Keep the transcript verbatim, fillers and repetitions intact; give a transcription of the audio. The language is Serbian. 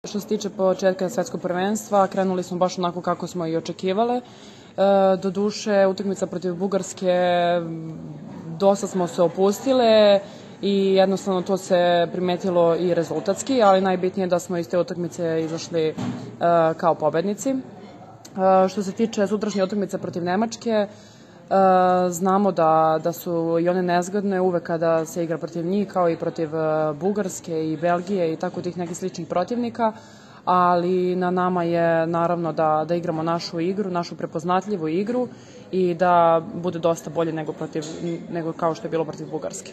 Što se tiče početka svetskog prvenstva, krenuli smo baš onako kako smo i očekivale. Do duše, utakmica protiv Bugarske, dosta smo se opustile i jednostavno to se primetilo i rezultatski, ali najbitnije je da smo iz te utakmice izašli kao pobednici. Što se tiče sutrašnje utakmice protiv Nemačke, znamo da, da su i one nezgodne uvek kada se igra protiv njih, kao i protiv Bugarske i Belgije i tako tih nekih sličnih protivnika, ali na nama je naravno da, da igramo našu igru, našu prepoznatljivu igru i da bude dosta bolje nego, protiv, nego kao što je bilo protiv Bugarske.